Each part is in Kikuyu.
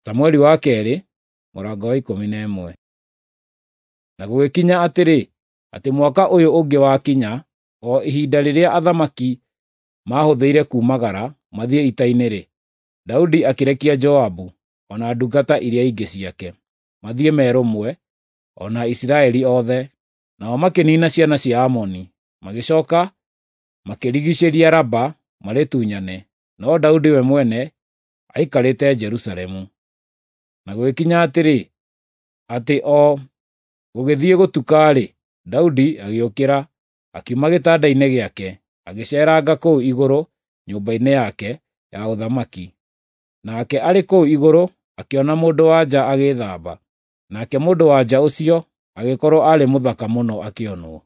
Samueli wa kerĩ mũrango wa 11. Na gũgĩkinya atĩrĩ, atĩ mwaka ũyũ ũngĩ wakinya, o ihinda rĩrĩa athamaki maahũthĩire kuumagara mathiĩ ita-inĩ-rĩ, Daudi akĩrekia Joabu, o na ndungata iria ingĩ ciake, mathiĩ me rũmwe, o na Isiraeli othe. Nao makĩniina ciana cia Amoni, magĩcoka makĩrigicĩria Raba marĩtunyane, no Daudi we mwene aikarĩte Jerusalemu. Na gũgĩkinya atĩrĩ, atĩ o gũgĩthiĩ gũtuka-rĩ, Daudi agĩũkĩra, akiuma gĩtanda-inĩ gĩake, agĩceeranga kũu igũrũ nyũmba-inĩ yake ya ũthamaki. Nake arĩ kũu igũrũ akĩona mũndũ-wa-nja agĩĩthamba, nake mũndũ-wa-nja ũcio agĩkorwo aarĩ mũthaka mũno akĩonwo.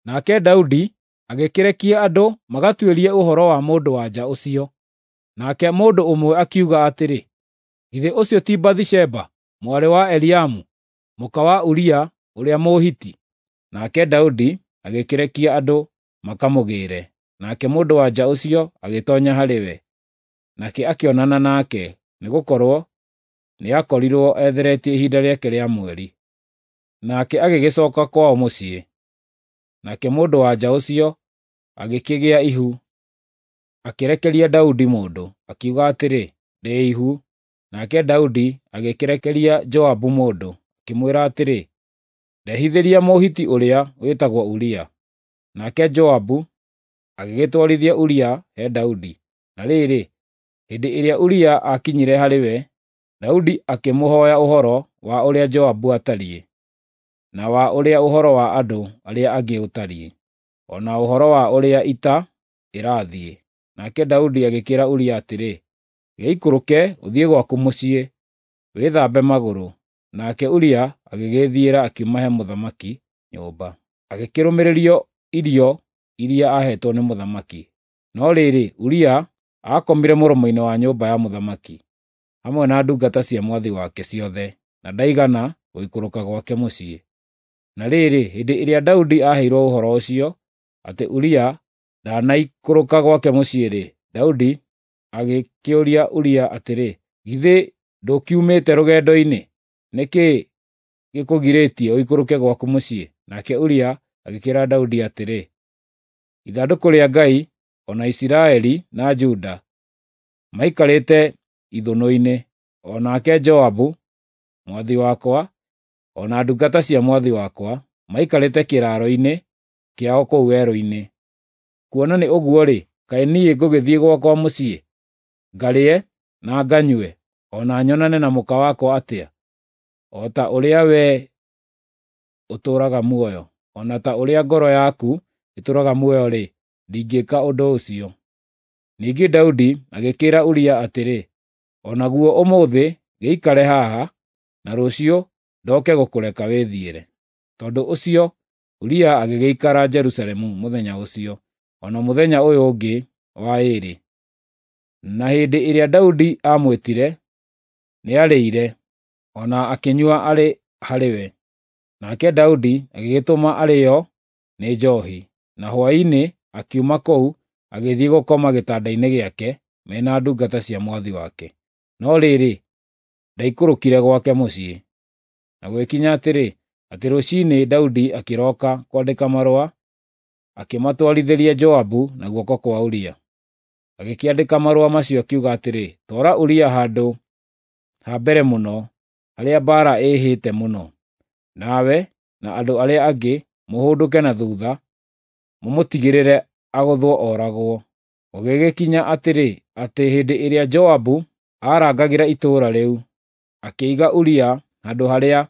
Nake Daudi agĩkĩrekia andũ magatuĩrie ũhoro wa mũndũ-wa-nja ũcio. Nake mũndũ ũmwe akiuga atĩrĩ, “Githĩ ũcio ti Bathisheba, mwarĩ wa Eliamu, mũka wa Uria ũrĩa Mũhiti?” Nake Daudi agĩkĩrekia andũ makamũgĩĩre, nake mũndũ-wa-nja ũcio agĩtoonya harĩ we. Nake akĩonana nake, nĩgũkorwo nĩakorirwo etheretie ihinda rĩake rĩa mweri. Nake agĩgĩcooka kwao mũciĩ. Nake mũndũ-wa-nja ũcio agĩkĩgĩa ihu, akĩrekeria Daudi mũndũ, akiuga atĩrĩ, “Ndĩ ihu.” Nake Daudi agĩkĩrekeria Joabu mũndũ, akĩmwĩra atĩrĩ, “Ndehithĩria Mũhiti ũrĩa wĩtagwo Uria.” Nake Joabu agĩgĩtwarithia Uria he Daudi. Na rĩrĩ, hĩndĩ ĩrĩa Uria aakinyire harĩ we, Daudi akĩmũhooya ũhoro wa ũrĩa Joabu aatariĩ, na wa ũrĩa ũhoro wa andũ arĩa angĩ ũtariĩ, o na ũhoro wa ũrĩa ita ĩrathiĩ. Nake Daudi agĩkĩĩra Uria atĩrĩ, “Gĩikũrũke ũthiĩ gwaku mũciĩ, wĩthambe magũrũ.” Nake Uria agĩgĩĩthiĩra akiuma he mũthamaki nyũmba, agĩkĩrũmĩrĩrio irio iria aaheetwo nĩ mũthamaki. No rĩrĩ, Uria aakomire mũromo-inĩ wa nyũmba ya mũthamaki, hamwe na ndungata cia mwathi wake ciothe, na ndaigana gũikũrũka gwake mũciĩ. Na rĩrĩ, hĩndĩ ĩrĩa Daudi aaheirwo ũhoro ũcio, atĩ Uria ndanaikũrũka gwake mũciĩ-rĩ, Daudi agĩkĩũria Uria atĩrĩ, “Githĩ ndũkiumĩte rũgendo-inĩ? Nĩ kĩĩ gĩkũgirĩtie ũikũrũke gwaku mũciĩ?” Nake Uria agĩkĩĩra Daudi atĩrĩ, “Ithandũkũ rĩa Ngai, o na Isiraeli na Juda, maikarĩte ithũnũ-inĩ, o nake Joabu mwathi wakwa, o na ndungata cia mwathi wakwa, maikarĩte kĩraaro-inĩ kĩao kũu werũ-inĩ. Kuona nĩ ũguo-rĩ, kaĩ niĩ ngũgĩthiĩ gwakwa mũciĩ, ngarĩe na nganyue, o na nyonane na mũka wakwa atĩa? O ta ũrĩa wee ũtũũraga muoyo, o na ta ũrĩa ngoro yaku ĩtũũraga muoyo-rĩ, ndingĩĩka ũndũ ũcio.” Ningĩ Daudi agĩkĩĩra Uria atĩrĩ, “O naguo ũmũthĩ gĩikare haha, na rũciũ ndoke gũkũreka wĩthiĩre.” Tondũ ũcio Uria agĩgĩikara Jerusalemu mũthenya ũcio, o na mũthenya ũyũ ũngĩ wa ĩĩrĩ. Na hĩndĩ ĩrĩa Daudi aamwĩtire, nĩarĩire, o na akĩnyua arĩ harĩ we. Nake Daudi agĩgĩtũma arĩĩo nĩ njoohi, na hwaĩ-inĩ akiuma kũu agĩthiĩ gũkoma gĩtanda-inĩ gĩake me na ndungata cia mwathi wake. No rĩrĩ, ndaikũrũkire gwake mũciĩ. Na gũgĩkinya atĩrĩ, atĩ rũciinĩ Daudi akĩroka kwandĩka marũa, akĩmatwarithĩria Joabu na guoko kwa Uria. Agĩkĩandĩka marũa macio akiuga atĩrĩ, “Twara Uria handũ ha mbere mũno, harĩa mbaara ĩĩhĩte mũno. Nawe na andũ arĩa angĩ mũhũndũke na thuutha, mũmũtigĩrĩre agũthwo ooragwo.” Gũgĩgĩkinya atĩrĩ, atĩ hĩndĩ ĩrĩa Joabu aarangagĩra itũũra rĩu, akĩiga Uria handũ harĩa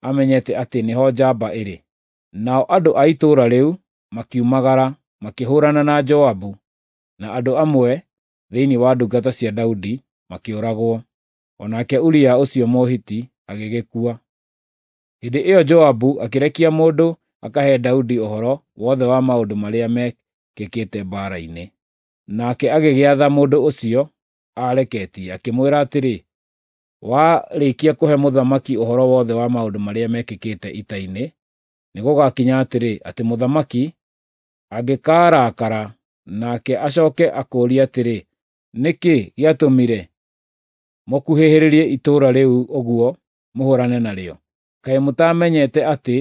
amenyete atĩ nĩho njamba ĩrĩ. Nao andũ a itũũra rĩu makiumagara, makĩhũũrana na Joabu, na andũ amwe thĩinĩ wa ndungata cia Daudi makĩũragwo. O nake Uria ũcio Mũhiti agĩgĩkua. Hĩndĩ ĩyo Joabu akĩrekia mũndũ akahe Daudi ũhoro wothe wa maũndũ marĩa meekĩkĩte mbaara-inĩ. Nake agĩgĩatha mũndũ ũcio aareketie, akĩmwĩra atĩrĩ, “Warĩkia kũhe mũthamaki ũhoro wothe wa maũndũ marĩa mekĩkĩte ita-inĩ, nĩgũgakinya atĩrĩ, atĩ mũthamaki angĩkaarakara nake acooke akũũrie atĩrĩ, ‘Nĩ kĩĩ gĩatũmire mũkuhĩhĩrĩrie itũũra rĩu ũguo mũhũrane narĩo? Kaĩ mũtamenyete atĩ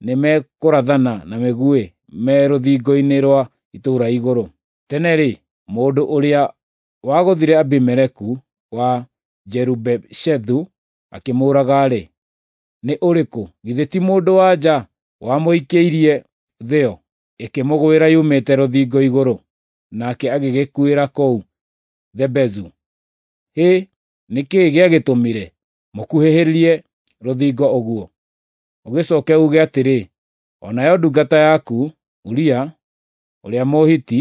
nĩmekũrathana na mĩguĩ me rũthingo-inĩ rwa itũũra igũrũ? Tene-rĩ, mũndũ ũrĩa wagũthire Abimeleku wa Jerubeshethu akĩmũũraga-rĩ, nĩ ũrĩkũ? Githĩ ti mũndũ-wa-nja wamũikĩirie thĩo ĩkĩmũgwĩra yumĩte rũthingo igũrũ, nake agĩgĩkuĩra kũu Thebezu? Hĩ, nĩ kĩĩ gĩagĩtũmire mũkuhĩhĩrie rũthingo ũguo? Ũgĩcoke uuge atĩrĩ, o nayo ndungata yaku, Uria ũrĩa Mũhiti,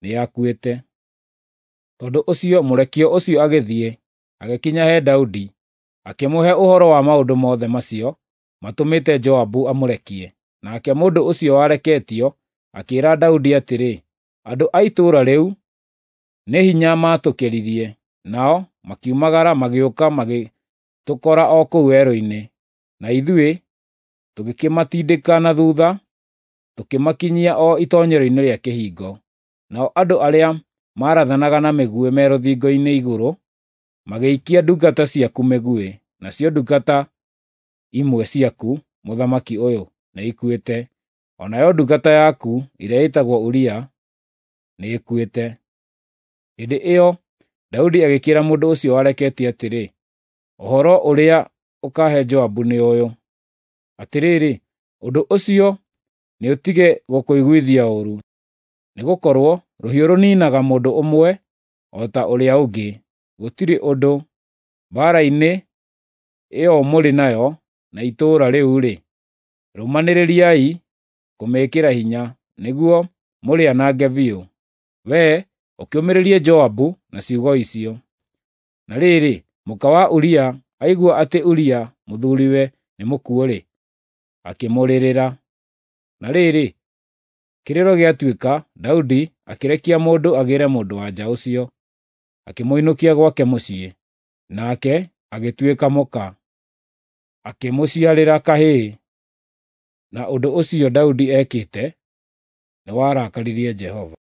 nĩakuĩte. Tondũ ũcio mũrekio ũcio agĩthiĩ, agĩkinya he Daudi, akĩmũhe ũhoro wa maũndũ mothe macio matũmĩte Joabu amũrekie. Nake mũndũ ũcio wareketio akĩĩra Daudi atĩrĩ, andũ a itũũra rĩu nĩ hinya maatũkĩririe, nao makiumagara magĩũka magĩtũkora o kũu werũ-inĩ, na ithuĩ tũgĩkĩmatindĩka na thutha, tũkĩmakinyia o itoonyero-inĩ rĩa kĩhingo. Nao andũ arĩa maarathanaga na mĩguĩ me rũthingo-inĩ igũrũ magĩikia ndungata ciaku mĩguĩ, nacio ndungata imwe ciaku, mũthamaki ũyũ, nĩikuĩte, o nayo ndungata yaku ĩrĩa ĩtagwo Uria nĩĩkuĩte. Hĩndĩ ĩyo Daudi agĩkĩĩra mũndũ ũcio wareketie atĩrĩ, ũhoro ũrĩa ũkaahe Joabu nĩ ũyũ: Atĩrĩrĩ, ũndũ ũcio nĩũtige gũkũiguithia ũũru, nĩgũkorwo rũhiũ rũniinaga mũndũ ũmwe o ta ũrĩa ũngĩ. Gũtirĩ ũndũ. Mbaara-inĩ ĩyo mũrĩ nayo na itũũra rĩu-rĩ, rũmanĩrĩriai kũmĩĩkĩra hinya, nĩguo mũrĩanange biũ. Wee ũkĩũmĩrĩrie Joabu na ciugo icio. Na rĩrĩ, mũka wa Uria aigua atĩ Uria mũthuriwe nĩ mũkuũ-rĩ, akĩmũrĩrĩra. Na rĩrĩ, kĩrĩro gĩatuĩka, Daudi akĩrekia mũndũ agĩĩre mũndũ-wa-nja ũcio, akĩmũinũkia gwake mũciĩ, nake agĩtuĩka mũka, akĩmũciarĩra kahĩĩ. Na ũndũ ũcio Daudi ekĩte nĩwarakaririe Jehova.